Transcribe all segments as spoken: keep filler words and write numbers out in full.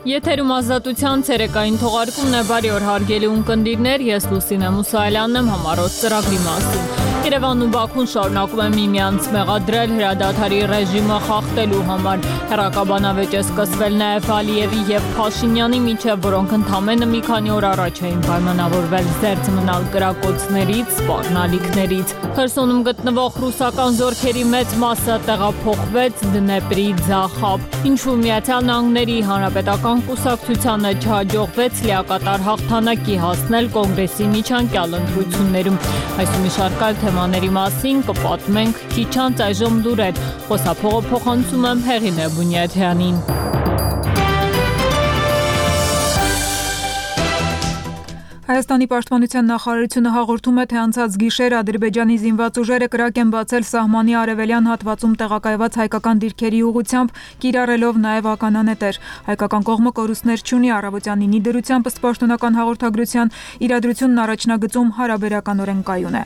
Եթերում ազատության ցերեկային թողարկումն է, բարի օր հարգելի ունկնդիրներ, ես Լուսինե Մուսայելյանն եմ, համառոտ ծրագրի մասին։ Երևանն ու Բաքուն շարունակում են միմյանց մեղադրել հրադադարի ռեժիմը խախտելու համար։ Հեռակաբանավեճ է սկսվել նաև Ալիևի և Փաշինյանի միջև, որոնք ընդամենը մի քանի օր առաջ էին պայմանավորվել զերծ մնալ կրակոցներից, սպառնալիքներից։ Խերսոնում գտնվող ռուսական զորքերի մեծ մասը տեղափոխվեց Դնեպրի ձախ, ինչու Միացյալ Նահանգների Հանրապետական կուսակցությանը չհաջողվեց լիակատար հաղթանակի հասնել կոնգրեսի միջանկյալ ընտրություններում։ Այս ու մի շարք այլ թեմաների մասին կպատմենք քիչ անց այժմ լուրեր։ Խոսափողը փոխանցում եմ Հեղինե Բունյաթյանին։ Հայաստանի պաշտպանության նախարարությունը հաղորդում է, թե անցած գիշեր Ադրբեջանի զինված ուժերը կրակ են բացել սահմանի արևելյան հատվածում տեղակայված հայկական դիրքերի ուղղությամբ, կիրառելով նաև ականանետեր։ Հայկական կողմը կորուստներ չունի, առավոտյան ինի դրությամբ ըստ պաշտոնական հաղորդագրության իրադրությունն առաջնագծում հարաբերականորեն կայուն է։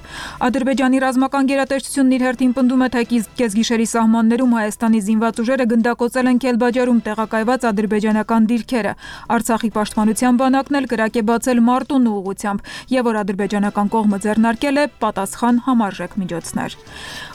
Ադրբեջանի ռազմական գերատեսչությունն իր հերթին պնդում է, թե կեսգիշերի սահմաններում Հայաստանի զինված ուժերը գնդակոծել են Քելբաջարում տեղակայված ադրբեջանական դիրքերը։ Արցախի պաշտպանության բանակն էլ կրակ է բացել Մարտուն ուղղությամբ, եւ որ ադրբեջանական կողմը ձեռնարկել է պատասխան համարժեք միջոցներ։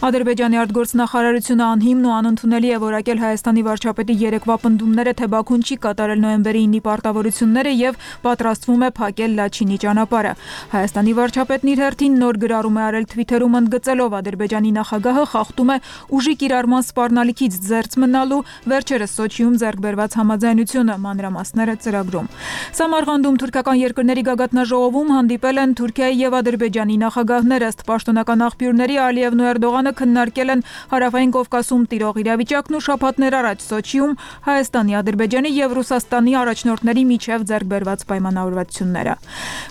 Ադրբեջանի արտգործնախարարությունը անհիմն ու անընդունելի է որակել Հայաստանի վարչապետի երեկվա պնդումները, թե Բաքուն չի կատարել նոյեմբերի ինի պարտավորությունները եւ պատրաստվում է փակել Լաչինի ճանապարհը։ Հայաստանի վարչապետն իր հերթին նոր գրառում է արել Twitter-ում ընդգծելով Ադրբեջանի նախագահը խախտում է ուժի կիրառման սպառնալիքից զերծ մնալու վերջերս Սոչիում ձեռք բերված համաձայնությունը, մանրամասները ծրագրում։ Սամարղանդում թուրքական երկրների գագաթնաժողովում հանդիպել են Թուրքիայի եւ Ադրբեջանի նախագահները, ըստ պաշտոնական աղբյուրների Ալիևն ու Էրդողանը քննարկել են Հարավային Կովկասում տիրող իրավիճակն ու շաբաթներ առաջ Սոչիում Հայաստանի, Ադրբեջանի եւ Ռուսաստանի առաջնորդների միջև ձեռք բերված պայմանավորվածությունները։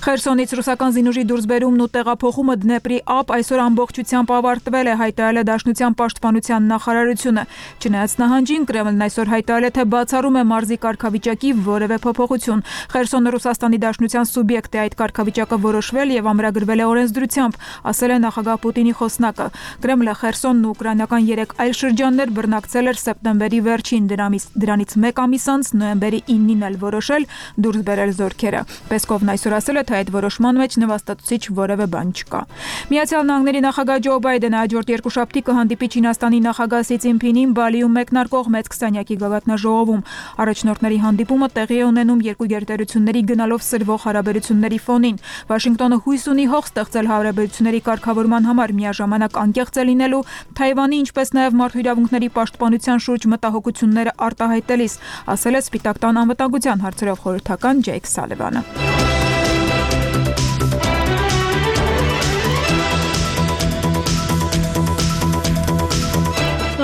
Խերսոնից ռուսական զինուժի դուրսբերումն ու տեղափոխումը Դնեպրի ափ այսօր ամբողջությամբ ավարտվել է, հայտարարել է Դաշնության պաշտպանության նախարարությունը։ Չնայած նահանջին Կրեմլն այսօր հայտարարել է, թե բացառում է մարզի կարգավիճակի որևէ փոփոխություն։ Խերսոնը Ռուսաստանի Դաշնության սուբյեկտ է, այդ կարգավիճակը որոշվել եւ ամրագրվել է օրենսդրությամբ, ասել է նախագահ Պուտինի խոսնակը։ Կրեմլը Խերսոնն ու ուկրաինական երեք այլ շրջաններ բռնակցել էր սեպտեմբերի վերջին, դրանից դրանից մեկ ամիս անց նոյեմբերի ինին էլ որոշել դուրս բերել զորքերը։ Պեսկովն այսօր ասել է, թե այդ որոշման մեջ նվաստացուցիչ որևէ բան չկա։ Միացյալ Նահանգների նախագահ Ջո Բայդենը հաջորդ երկուշաբթի կհանդիպի Չինաստանի նախագահ Սի Ցզինփինին Բալիում մեկնարկող մեծ քսանյակի գագաթնաժողովում։ Առաջնորդների հանդիպումը տեղի է ունենում երկու գերտերությունների գնալով սրվող հարաբերությունների ֆոնին։ Վաշինգտոնը հույս ունի հող ստեղծել հարաբերությունների կարգավորման համար, միաժամանակ անկեղծ է լինելու Թայվանի, ինչպես նաև մարդու իրավունքների պաշտպանության շուրջ մտահոգությունները արտահայտելիս, ասել է Սպիտակ տան անվտանգության հարցերով խորհրդական Ջեյք Սալիվանը։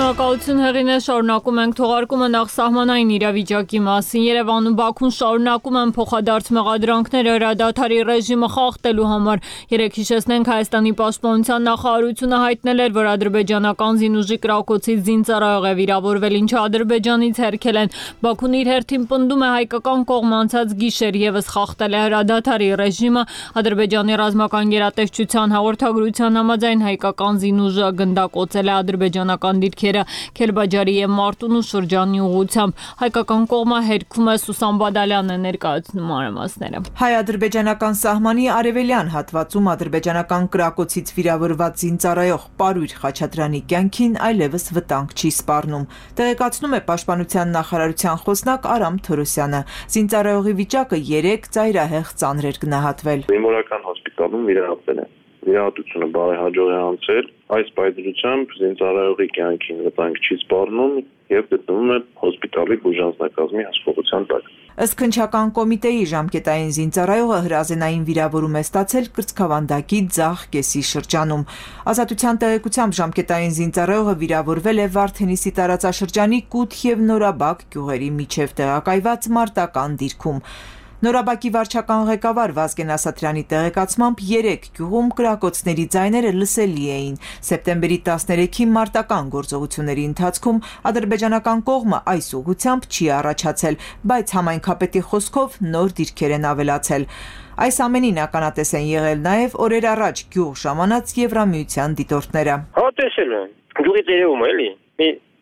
Շնորհակալություն Հեղինե, շարունակում ենք թողարկումը նախ սահմանային իրավիճակի մասին։ Երևանում Բաքուն շարունակում են փոխադարձ մեղադրանքները հրադադարի ռեժիմը խախտելու համար։ Երեկ հիշեցնենք, Հայաստանի պաշտպանության նախարարությունը հայտնել էր, որ ադրբեջանական զինուժի կրակոցից զինծառայող է վիրավորվել, ինչը Ադրբեջանից հերքել են։ Բաքուն իր հերթին պնդում է, հայկական կողմը անցած գիշեր եւս խախտել է հրադադարի ռեժիմը։ Ադրբեջանի ռազմական գերատեսչության հաղորդագրության համաձայն հայկական զինուժը գնդակոծել է ադրբեջանական դիրքերը Քելբաջարի եւ Մարտունու շրջանի ուղղությամբ։ Հայկական կողմը հերքում է, Սուսան Բադալյանն է ներկայացնում մանրամասները։ Հայ-ադրբեջանական սահմանի արևելյան հատվածում ադրբեջանական կրակոցից վիրավորված զինծառայող Պարույր Խաչատրյանի կյանքին այլևս վտանգ չի սպառնում, տեղեկացնում է պաշտպանության նախարարության խոսնակ Արամ Թորոսյանը։ Զինծառայողի վիճակը երեք ծայրահեղ ծանր էր գնահատվել։ Մեմորիական հոսպիտալում վիրահատվել է։ Վիրահատությունը բարեհաջող է անցել, այս պայծրությամբ զինծառայողի կյանքին վտանգ չի սպառնում եւ գտնվում է հոսպիտալի բուժանձնակազմի հսկողության տակ։ Ըստ քննչական կոմիտեի ժամկետային զինծառայողը հրազենային վիրավորում է ստացել Կրծքավանդակի ձախ կեսի շրջանում։ Ազատության տեղեկությամբ ժամկետային զինծառայողը վիրավորվել է Վարդենիսի տարածաշրջանի Կութ եւ Նորաբակ գյուղերի միջև տեղակայված մարտական դիրքում։ Նորաբակի վարչական ղեկավար Վազգեն Ասատրյանի տեղեկացմամբ երեք գյուղում կրակոցների ձայները լսելի էին։ Սեպտեմբերի տասներեքին մարտական գործողությունների ընթացքում ադրբեջանական կողմը այս ուղղությամբ չի առաջացել, բայց համայնքապետի խոսքով նոր դիրքեր են ավելացել։ Այս ամենին ականատես են եղել նաև օրեր առաջ գյուղ ժամանած Եվրամիության դիտորդները։ Հա տեսել են, գյուղից երևում է էլի։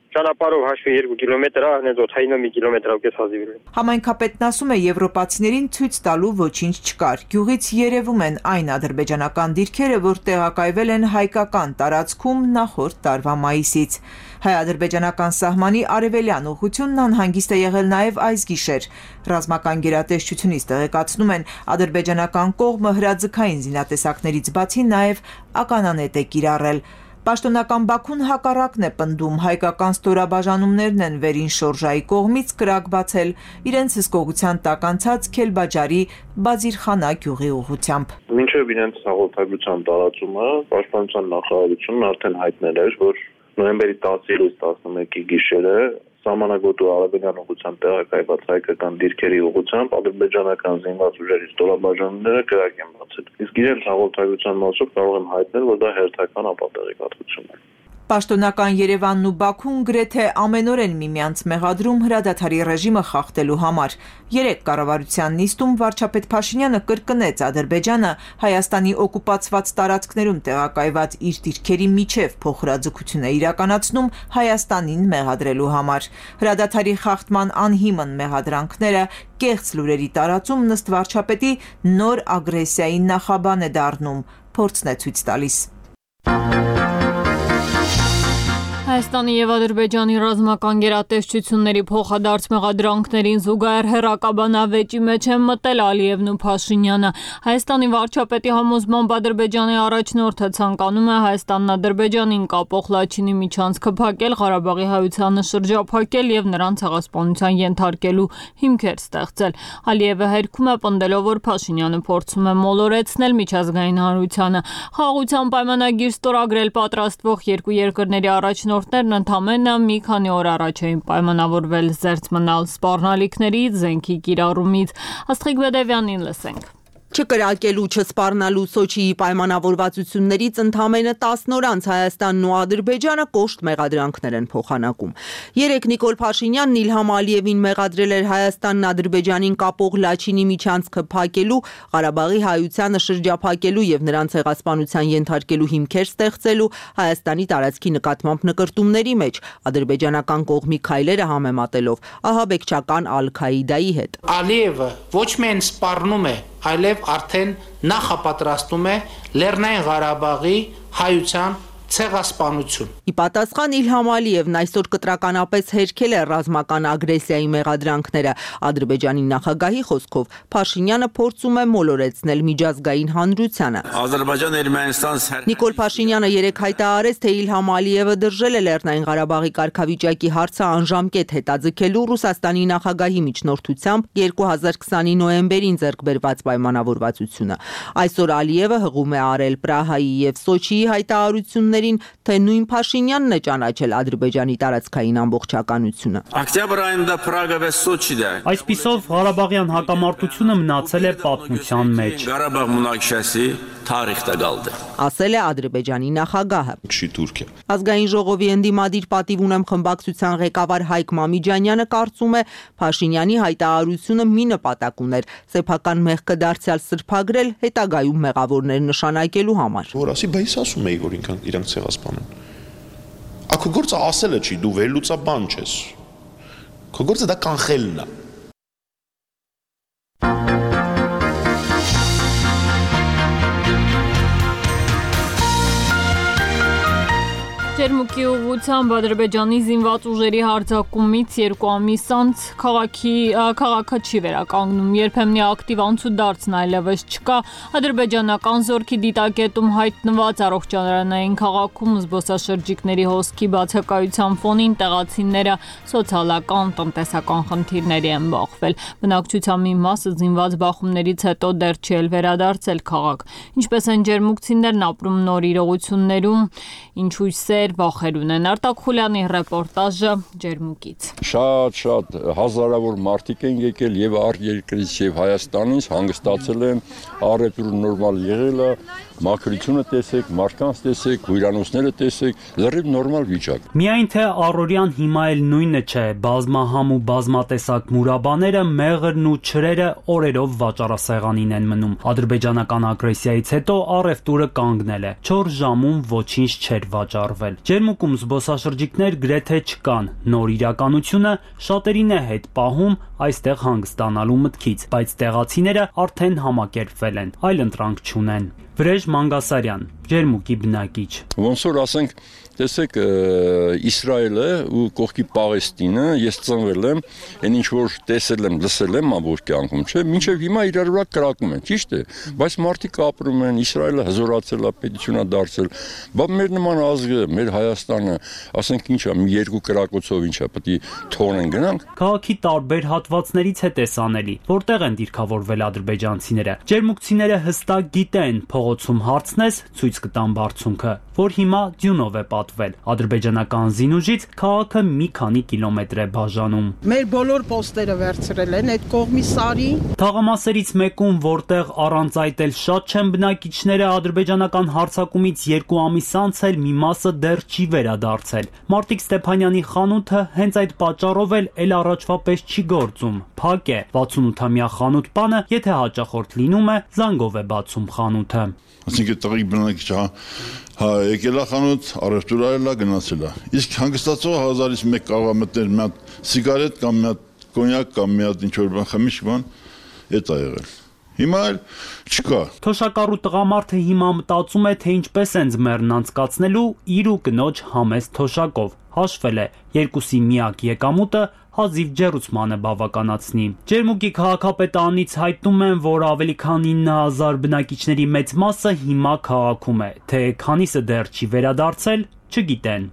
Ճանապարհով հաշվի երկու կիլոմետր է, հենց օդային մի կիլոմետրով կես հազիվ։ Համայնքապետն ասում է, եվրոպացիներին ցույց տալու ոչինչ չկար։ Գյուղից երևում են այն ադրբեջանական դիրքերը, որ տեղակայվել են հայկական տարածքում նախորդ տարվա մայիսից։ Հայ-ադրբեջանական սահմանի արևելյան ուղղությունն անհանգիստ է եղել նաև այս գիշեր։ Ռազմական գերատեսչությունից տեղեկացնում են, ադրբեջանական կողմը հրաձգային զինատեսակներից բացի նաև ականանետ է կիրառել։ Պաշտոնական Բաքուն հակառակն է պնդում, հայկական ստորաբաժանումներն են վերին շորժայի կողմից կրակ բացել իրենց հսկողության տակ անցած Քելբաջարի Բազիրխանա գյուղի ուղղությամբ։ Մինչև իրենց հաղորդագրության տարածումը Պաշտպանության նախարարությունն արդեն հայտնել էր, որ նոյեմբերի տասից տասնմեկի գիշերը Սահմանագոտու արևելյան ուղղությամբ տեղակայված հայկական դիրքերի ուղղությամբ ադրբեջանական զինված ուժերի ստորաբաժանումները կրակ են բացել։ Իսկ իրենց հաղորդագրության մասով կարող եմ հայտնել, որ դա հերթական ապատեղեկատվություն է։ Պաշտոնական Երևանն ու Բաքուն գրեթե ամենօրեն միմյանց մեղադրում հրադադարի ռեժիմը խախտելու համար։ Երեք կառավարության նիստում վարչապետ Փաշինյանը կրկնեց Ադրբեջանը Հայաստանի օկուպացված տարածքներում տեղակայված իր դիրքերի միջև փոխհրաձգություն է իրականացնում Հայաստանին մեղադրելու համար։ Հրադադարի խախտման անհիմն մեղադրանքները կեղծ լուրերի տարածումն ըստ վարչապետի նոր ագրեսիայի նախաբան է դառնում, փորձն է ցույց տալիս։ Հայաստանի և Ադրբեջանի ռազմական գերատեսչությունների փոխադարձ մեղադրանքներին զուգահեռ հեռակաբանավեճի մեջ են մտել Ալիևն ու Փաշինյանը։ Հայաստանի վարչապետի համոզմամբ Ադրբեջանի առաջնորդը ցանկանում է Հայաստանն Ադրբեջանին կապող Լաչինի միջանցքը փակել, Ղարաբաղի հայությանը շրջափակել և նրան ցեղասպանության ենթարկելու հիմքեր ստեղծել։ Ալիևը հերքում է պնդելով, որ Փաշինյանը փորձում է մոլորեցնել միջազգային հանրությանը։ Խաղաղության պայմանագիր ստորագրել պատրաստվող երկու երկրների առաջնորդ Ներն ընդամենը մի քանի օր առաջ էին պայմանավորվել զերծ մնալ սպառնալիքներից, զենքի կիրառումից։ Աստղիկ Բեդևյանին լսենք։ Չկրակելու, չսպառնալու Սոչիի պայմանավորվածություններից ընդամենը տասն օր անց Հայաստանն ու Ադրբեջանը կոշտ մեղադրանքներ են փոխանակում։ Երեկ Նիկոլ Փաշինյանն Իլհամ Ալիևին մեղադրել էր Հայաստանն Ադրբեջանին կապող Լաչինի միջանցքը փակելու, Ղարաբաղի հայությանը շրջափակելու եւ նրան ցեղասպանության ենթարկելու հիմքեր ստեղծելու, Հայաստանի տարածքի նկատմամբ նկրտումների մեջ, ադրբեջանական կողմի քայլերը համեմատելով ահաբեկչական Ալ-Քաիդայի հետ։ Ալիևը ոչ միայն սպառնում է, այլև արդեն նախապատրաստում է Լեռնային Ղարաբաղի հայության ցեղասպանություն։ Ի պատասխան Իլհամ Ալիևն այսօր կտրականապես հերքել է ռազմական ագրեսիայի մեղադրանքները։ Ադրբեջանի նախագահի խոսքով Փաշինյանը փորձում է մոլորեցնել միջազգային հանրությանը։ Նիկոլ Փաշինյանը երեկ հայտարարեց, թե Իլհամ Ալիևը դրժել է Լեռնային Ղարաբաղի կարգավիճակի հարցը անժամկետ հետաձգելու Ռուսաստանի նախագահի միջնորդությամբ երկու հազար քսանի նոյեմբերին ձեռք բերված պայմանավորվածությունը։ Այսօր Ալիևը հղում է արել Պրահայի եւ Սոչիի հայտարարությունները, թե նույն Փաշինյանն է ճանաչել Ադրբեջանի տարածքային ամբողջականությունը։ Այսպիսով Ղարաբաղյան հակամարտությունը մնացել է պատմության մեջ։ Ասել է Ադրբեջանի նախագահը։ Ազգային ժողովի ընդդիմադիր պատիվ ունեմ խմբակցության ղեկավար Հայկ Մամիջանյանը կարծում է, Փաշինյանի հայտարարությունը մի նպատակ ուներ՝ սեփական մեղքը դարձյալ սրբագրել, հետագայում մեղավորներ նշանակելու համար։ Որ ասի, բայց ասում էի, որ ինքան իրանք ցեղասպանեն։ Ակո գործը ասելը չի, դու վերլուծաբան չես։ Քո գործը դա կանխելն է։ Ջերմուկի ուղղությամբ Ադրբեջանի զինված ուժերի հարձակումից երկու ամիս անց քաղաքի քաղաքը չի վերականգնում, երբեմնի ակտիվ անցուդարձն այլևս չկա։ Ադրբեջանական զորքի դիտակետում հայտնված առողջարանային քաղաքում զբոսաշրջիկների հոսքի բացակայության ֆոնին տեղացիները սոցիալական, տնտեսական խնդիրների են բախվել։ Բնակչության մի մասը զինված բախումներից հետո դեռ չի էլ վերադարձել քաղաք։ Ինչպես են ջերմուկցիներն ապրում նոր իրողություններում, ինչ հույսեր վախեր ունեն։ Արտակ Խուլյանի ռեպորտաժը Ջերմուկից։ Շատ-շատ հազարավոր մարդիկ են եկել եւ արտերկրից եւ Հայաստանից, հանգստացել են, առևտուրը նորմալ եղել է, մաքրությունը տեսեք, մարդկանց տեսեք, հյուրանոցները տեսեք, լրիվ նորմալ վիճակ։ Միայն թե առօրյան հիմա էլ նույնը չէ, բազմահամ ու բազմատեսակ մուրաբաները, մեղրն ու չրերը օրերով վաճառասեղանին են մնում։ Ադրբեջանական ագրեսիայից հետո առևտուրը կանգնել է։ չորս ժամում ոչինչ չէր վաճառվել։ Ջերմուկում զբոսաշրջիկներ գրեթե չկան։ Նոր իրականությունը շատերին է հետ պահում այստեղ հանգստանալու մտքից, բայց տեղացիները արդեն համակերպվել են, այլ ընտրանք չունեն։ Վրեժ Մանգասարյան, Ջերմուկի բնակիչ։ Ոնց որ ասենք, տեսեք, Իսրայելը ու կողքի Պաղեստինը, ես ծնվել եմ, այն ինչ որ տեսել եմ, լսել եմ ամբողջ կյանքում, չէ՞, մինչև հիմա իրար վրա կրակում են, ճիշտ է, բայց մարդիկ ապրում են, Իսրայելը հզորացել է, պետություն է դարձել, բա մեր նման ազգը, մեր Հայաստանը, ասենք ինչա, մի երկու կրակոցով ինչա, պետք է թողնեն գնանք։ Քաղաքի տարբեր հատվածներից է տեսանելի, որտեղ են դիրքավորվել ադրբեջանցիները։ Ջերմուկցիները հստակ գիտեն, փողոցում հարցնես, ցույց կտան բարձունքը, որ հիմա ձյունով է պատվել։ Ադրբեջանական զինուժից քաղաքը մի քանի կիլոմետր է բաժանում։ Մեր բոլոր պոստերը վերցրել են այդ կողմի Սարի։ Թաղամասերից մեկում, որտեղ առանց այդ էլ շատ չեն բնակիչները, ադրբեջանական հարձակումից երկու ամիս անց էլ մի մասը դեռ չի վերադարձել։ Մարտիկ Ստեփանյանի խանութը հենց այդ պատճառով էլ էլ առաջվա պես չի գործում։ Փակ է։ վաթսունութամյա խանութ բանը, եթե հաճախորդ լինում է, զանգով է բացում խանութը։ Այսինքն տղի բնակիչ հա հա եկել է խանութ, առևտուր արել է, գնացել է։ Իսկ հանգստացողը հազարից մեկ կարող է մտնել մի հատ սիգարետ կամ մի հատ կոնյակ կամ մի հատ ինչ-որ բան խմիչք բան, էդ է եղել։ Հիմա էլ չկա։ Թոշակառու տղամարդը հիմա մտածում է, թե ինչպես են ձմեռն անցկացնելու իր ու կնոջ համեստ թոշակով։ Հաշվել է, երկուսի միակ եկամուտը հազիվ ջեռուցմանը բավականացնի։ Ջերմուկի քաղաքապետարանից հայտնում են, որ ավելի քան ինը հազար բնակիչների մեծ մասը հիմա քաղաքում է, թե քանիսը դեռ չի վերադարձել, չգիտեն։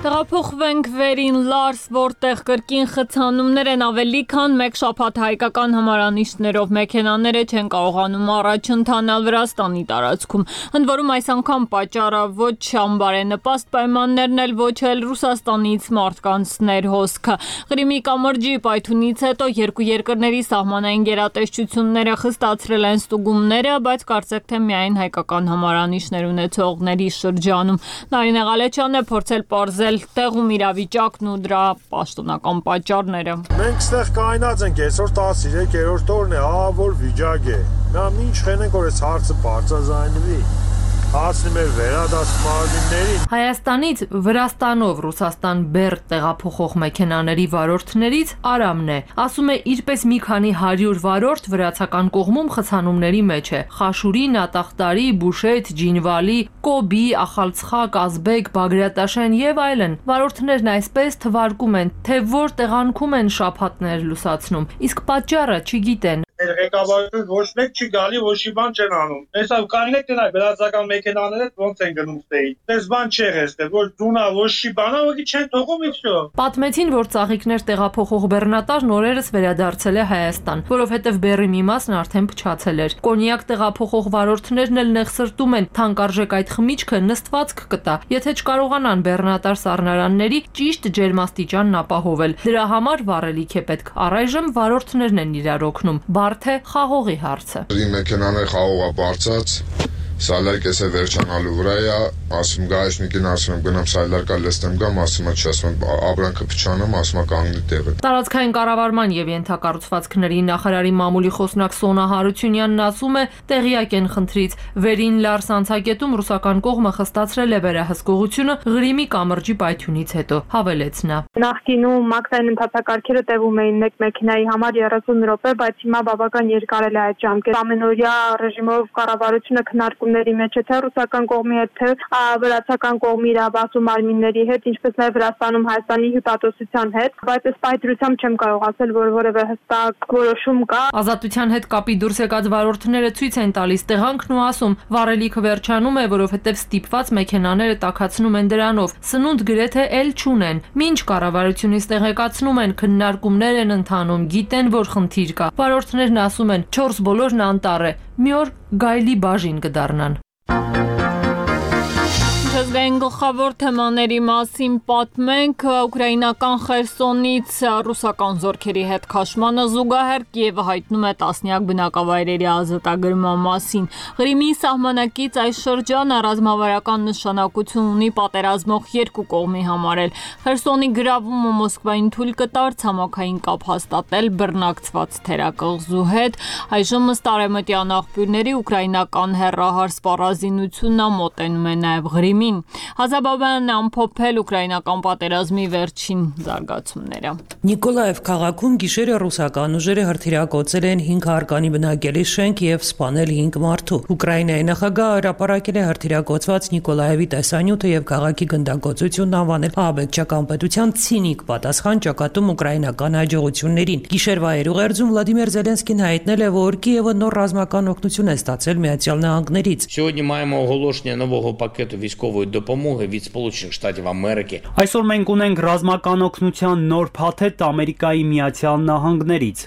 Տեղափոխվենք վերին Լարս, որտեղ կրկին խցանումներ են, ավելի քան մեկ շաբաթ հայկական հմարանիշներով մեքենաները չեն կարողանում առաջ ընթանալ Վրաստանի տարածքում։ Ընդ որում այս անգամ պատճառը ոչ անբարենպաստ պայմաններն էլ, ոչ էլ Ռուսաստանից մարդկանց ներհոսքը։ Ղրիմի կամրջի պայթունից հետո երկու երկրների սահմանային գերատեսչությունները խստացրել են ստուգումները, բայց կարծեք թե միայն հայկական հմարանիշներ ունեցողների շրջանում։ Նարինե Ղալեչյանն է փորձել պարզել տեղում իրավիճակն ու դրա պաշտոնական պատճառները։ Մենք ստեղ կայնած ենք այսօր տասներորդ օրն է, ահավոր վիճակ է։ Նա ինչ խենենք որ այս հարցը բարձրաձայնվի։ Հասնում է վերադասմարմիններին։ Հայաստանից Վրաստանով Ռուսաստան բեռ տեղափոխող մեքենաների վարորդներից Արամն է։ Ասում է իրպես մի քանի հարյուր վարորդ վրացական կողմում խցանումների մեջ է։ Խաշուրի, Նատախտարի, Բուշետ, Ջինվալի, Կոբի, Ախալցխակ, Ազբեկ, Բագրատաշեն եւ այլն։ Վարորդներն այսպես թվարկում են, թե որ տեղանքում են շաբաթներ լուսացնում, իսկ պատճառը չգիտեն։ Ղեկավարությունը ոչ մեկ չի գալի, ոչ մի բան չեն անում։ Հեսա կարելի է գնալ վրացական մեքենաները ոնց են գնում ստեին։ Դες բան չեր էստեղ, որ դունա ոչ մի բան, ոքի չեն թողում իչո։ Պատմեցին, որ ծաղիկներ տեղափոխող բեռնատար նորերս վերադարձել է Հայաստան, որովհետև բեռի մի մասն արդեն փչացել էր։ Կոնյակ տեղափոխող վարորդներն էլ նեղսրտում են, թանկարժեք այդ խմիչքը նստվածք կտա, եթե չկարողանան բեռնատար սառնարանների ճիշտ ջերմաստիճանն ապահովել։ Դրա համար վառելիք է պետք։ Առայժմ վարորդներն են իրար օգնում։ Բարդ է խաղողի հարցը։ Մեքենաները խաղողա բարձած, սալարկես է վերջանալու վրա է, ասում գայշնիկին ասում եմ գնամ սալարկա լստեմ գամ, ասում է չի, ասում եմ ապրանքը փչանամ, ասում է կանգնի տեղը։ Տարածքային կառավարման եւ ենթակառուցվածքների նախարարի մամուլի խոսնակ Սոնա Հարությունյանն ասում է, տեղյակ են խնդրից։ Վերին Լարս անցակետում ռուսական կողմը խստացրել է վերահսկողությունը Ղրիմի կամրջի պայթյունից հետո, հավելեց նա։ Նախկինում մաքսային ընթացակարգերը տևում էին մեկ մեքենայի համար երեսուն րոպե, բայց հիմա բավական երկարել է այդ ժամկետը։ Ամենօրյա ռեժիմով կառավարությունը քննարկումների մեջ է թե ռուսական կողմի հետ, թե վրացական կողմի իրավասու մարմինների հետ, ինչպես նաև Վրաստանում Հայաստանի հյուպատոսության հետ, բայց այս պայթրությամբ չեմ կարող ասել, որ որևէ հստակ որոշում կա։ Ազատության հետ կապի դուրս եկած վարորդները ցույց են տալիս տեղանքն ու ասում, վառելիքը վերջանում է, որովհետև ստիպված մեքենաները տաքացնում են դրանով, սնունդ գրեթե էլ չունեն։ Մինչ կառավարությունից տեղեկացնում են, քննարկումներ են ընթանում, գիտեն, որ խնդիր կա։ Վարորդներն ասում են, չորս բոլորն անտառ է, մի օր գայլի բաժին կդառնան։ Միջազգային գլխավոր թեմաների մասին պատմենք ուկրաինական Խերսոնից ռուսական զորքերի հետ քաշմանը զուգահեռ Կիևը հայտնում է տասնյակ բնակավայրերի ազատագրման մասին։ Ղրիմի սահմանակից այս շրջանը ռազմավարական նշանակություն ունի պատերազմող երկու կողմի համար էլ։ Խերսոնի գրավումը Մոսկվային թույլ կտար ցամաքային կապ հաստատել բռնակցված թերակղզու հետ։ Այժմ ըստ արևմտյան աղբյուրների ուկրաինական հեռահար սպառազինությունն մոտենում է նաև Ղրիմին։ Հազաբաբյանն ամփոփել ուկրաինական պատերազմի վերջին զարգացումները։ Նիկոլաև քաղաքում գիշերը ռուսական ուժերը հրթիռակոծել են հինգ հարկանի բնակելի շենք եւ սպանել հինգ մարդու։ Ուկրաինայի նախագահը հրապարակել է հրթիռակոծված Նիկոլաևի տեսանյութը եւ քաղաքի գնդակոծությունն անվանել ահաբեկչական պետության ցինիկ պատասխան ճակատում ուկրաինական հաջողություններին։ Գիշերվա երուղերձում Վլադիմիր Զելենսկին հայտնել է, որ Կիևը նոր ռազմական օգնություն է ստացել Միացյալ Նահանգներից։ Сьогодні маємо оголошення нового пакету військової допомоги від Сполучених Штатів Америки. Այսօր մենք ունենք ռազմական օգնության նոր փաթեթ Ամերիկայի Միացյալ Նահանգներից։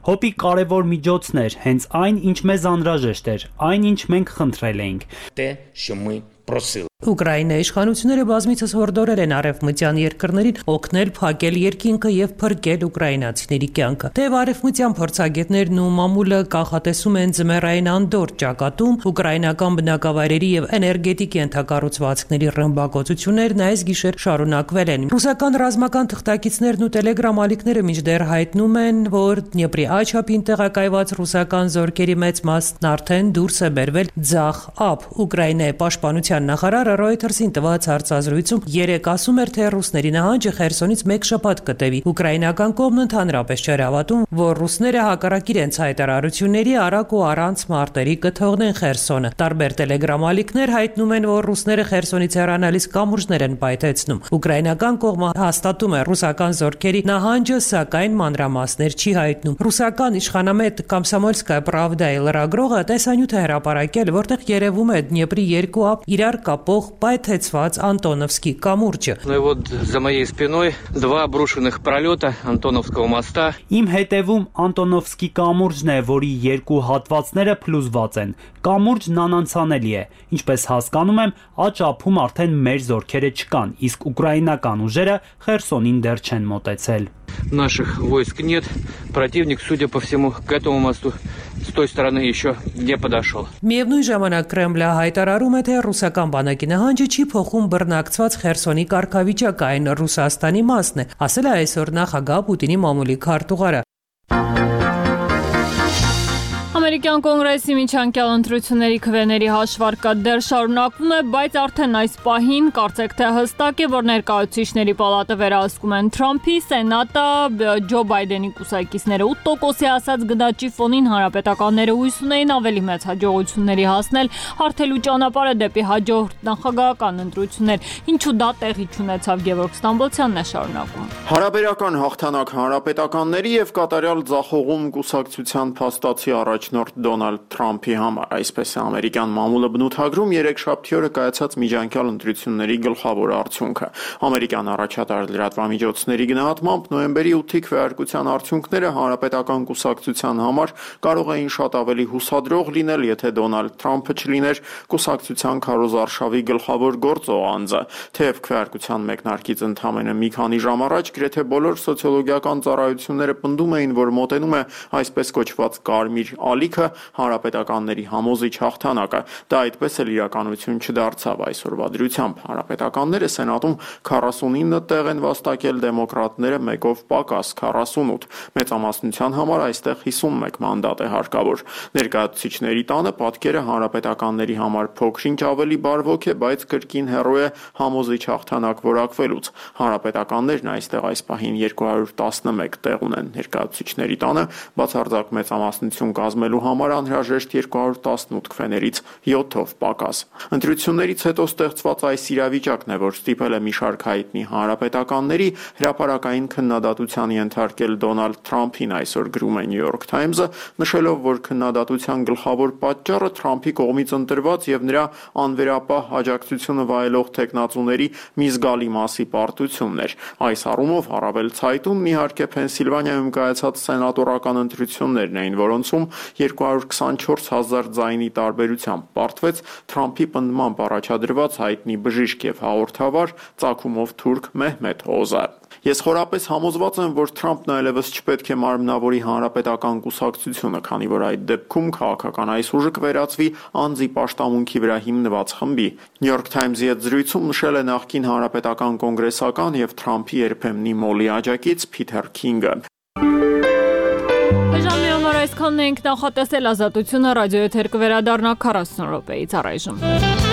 Հոպի կարևոր միջոցներ, հենց այն, ինչ մեզ անհրաժեշտ էր, այն, ինչ մենք խնդրել էինք։ Те, що ми просили. Ուկրաինայի իշխանությունները բազմիցս հորդորել են արևմտյան երկրներին օգնել փակել երկինքը եւ փրկել ուկրաինացիների կյանքը։ Թեև արևմտյան փորձագետներն ու մամուլը կանխատեսում են ձմեռային անդորր ճակատում ուկրաինական բնակավայրերի եւ էներգետիկ ենթակառուցվածքների ռմբակոծություններն այս գիշեր շարունակվել են։ Ռուսական ռազմական թղթակիցներն ու տելեգրամ ալիքները մինչդեռ հայտնում են, որ Դնեպրի աչափին տեղակայված ռուսական զորքերի մեծ մասն արդեն դուրս է բերվել ձախ ափ։ Ուկրաինայի պաշտպանության նախարարը Reuters-ին տված հարցազրույցում երեկ ասում էր, թե ռուսների նահանջը Խերսոնից մեկ շաբաթ կտևի։ Ուկրաինական կողմն ընդհանրապես չէր հավատում, որ ռուսները հակառակ իրենց հայտարարությունների արագ ու առանց մարտերի կթողնեն Խերսոնը։ Տարբեր տելեգրամ ալիքներ հայտնում են, որ ռուսները Խերսոնից հեռանալիս կամուրջներ են պայթեցնում։ Ուկրաինական կողմը հաստատում է ռուսական զորքերի նահանջը, սակայն մանրամասներ չի հայտնում։ Ռուսական իշխանամետ Կոմսոմոլսկայա Պրավդայի լրագրողը տեսանյութ է հրապարակել, որտեղ երևում է Դնեպրի երկու ափ իրար կապող պայթեցված Անտոնովսկի կամուրջը։ Ну и вот за моей спиной два обрушенных пролета Антоновского моста. Իմ հետևում Անտոնովսկի կամուրջն է, որի երկու հատվածները փլուզված են։ Կամուրջն անանցանելի է։ Ինչպես հասկանում եմ, աջ ափում արդեն մեր զորքերը չկան, իսկ ուկրաինական ուժերը Խերսոնին դեռ չեն մոտեցել։ Наших войск нет. Противник, судя по всему, к этому мосту с той стороны еще не подошел. Միևնույն ժամանակ Կրեմլը հայտարարում է, թե ռուսական բանակի նահանջը չի փոխում բռնակցված Խերսոնի կարգավիճակը, այն Ռուսաստանի մասն է, ասել է այսօր նախագահ Պուտինի մամուլի քարտուղարը։ Ամերիկյան կոնգրեսի միջանկյալ ընտրությունների քվեների հաշվարկը դեռ շարունակվում է, բայց արդեն այս պահին կարծեք թե հստակ է, որ ներկայացուցիչների պալատը վերահսկում են Թրամփի, Սենատը Ջո Բայդենի կուսակիցները ութ տոկոսի ասած գնաճի ֆոնին հանրապետականները հույս ունեին ավելի մեծ հաջողությունների հասնել, հարթելու ճանապարհը դեպի հաջորդ նախագահական ընտրություններ, ինչու դա տեղի չունեցավ Գևորգ Ստամբոլցյանն է շարունակում։ Հարաբերական հաղթանակ հանրապետականների եւ կատարյալ ձախողում կուսակցության փաստացի առաջնորդ Դոնալդ Թրամփի համար, այսպես է ամերիկյան մամուլը բնութագրում երեքշաբթի օրը կայացած միջանկյալ ընտրությունների գլխավոր արդյունքը։ Ամերիկյան առաջատար լրատվամիջոցների գնահատմամբ նոյեմբերի ութի քվեարկության արդյունքները հանրապետական կուսակցության համար կարող էին շատ ավելի հուսադրող լինել, եթե Դոնալդ Թրամփը չլիներ կուսակցության քարոզարշավի գլխավոր գործող անձը։ Թեև քվեարկության մեկնարկից ընդամենը մի քանի ժամ առաջ գրեթե բոլոր սոցիոլոգիական ծառայությունները պնդում էին, որ մոտենում է այսպես կոչված կարմիր ալիքը, հանրապետականների համոզիչ հաղթանակը։ Դա այդպես էլ իրականություն չդարձավ այսօրվա դրությամբ։ Հանրապետականները Սենատում քառասունինը տեղ են վաստակել, դեմոկրատները մեկով պակաս քառասունութ։ Մեծամասնության համար այստեղ հիսունմեկ մանդատ է հարկավոր։ Ներկայացուցիչների տանը պատկերը հանրապետականների համար փոքրինչ ավելի բարվոք է, բայց կրկին հեռու է համոզիչ հաղթանակ որակվելուց։ Հանրապետականներն այստեղ այս պահին երկու հարյուր տասնմեկ տեղ ունեն։ Ներկայացուցիչների տանը բացարձակ մեծամասնություն կազմելու համար անհրաժեշտ երկու հարյուր տասնութ քվեներից յոթով պակաս։ Ընտրություններից հետո ստեղծված այս իրավիճակն է, որ ստիպել է մի շարք հայտնի հանրապետականների հրապարակային քննադատության ենթարկել Դոնալդ Թրամփին, այսօր գրում է New York Times-ը, նշելով, որ քննադատության գլխավոր պատճառը Թրամփի կողմից ընտրված եւ նրա անվերապահ աջակցությունը վայելող տեխնացուների մի զգալի մասի պարտությունն էր։ Այս առումով առավել ցայտուն իհարկե Փենսիլվանիայում կայացած սենատորական ընտրություններն էին, որոնցում երկու հարյուր քսանչորս հազար ձայնի տարբերությամբ պարտվեց Թրամփի պնդմամբ առաջադրված հայտնի բժիշկ եւ հաղորդավար ծագումով թուրք Մեհմեդ Օզար։ Ես խորապես համոզված եմ, որ Թրամփն այլևս չպետք է մարմնավորի հանրապետական կուսակցությունը, քանի որ այդ դեպքում քաղաքական այս ուժը կվերածվի անձի պաշտամունքի վրա հիմնված խմբի։ New York Times-ի հետ զրույցում նշել է նախկին հանրապետական կոնգրեսական եւ Թրամփի երբեմնի մոլի աջակից Փիթեր Քինգը։ Ժամի համար այսքանն ենք, նախատեսել Ազատությունը ռադիոեթեր կվերադառնա քառասուն րոպեից առայժմ։